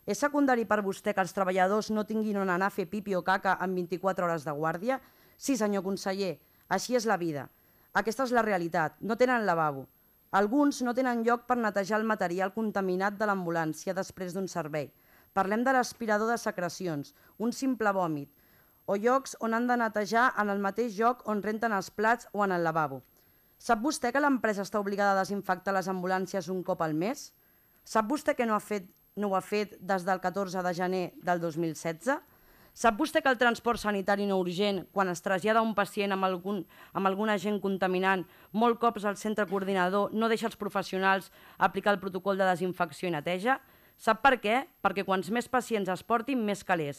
És secundari per vostè que els treballadors no tinguin on anar a fer pipi o caca en 24 hores de guàrdia? Sí, senyor conseller, així és la vida. Aquesta és la realitat, no tenen lavabo. Alguns no tenen lloc per netejar el material contaminat de l'ambulància després d'un servei. Parlem de l'aspirador de secrecions, un simple vòmit, o llocs on han de netejar en el mateix lloc on renten els plats o en el lavabo. Sap vostè que l'empresa està obligada a desinfectar les ambulàncies un cop al mes? Sap vostè que no ho ha fet des del 14 de gener del 2016? Sap vostè que el transport sanitari no urgent, quan es trasllada un pacient amb algun agent contaminant, molt cops el centre coordinador no deixa els professionals aplicar el protocol de desinfecció i neteja? Sap per què? Perquè quants més pacients es portin, més calés.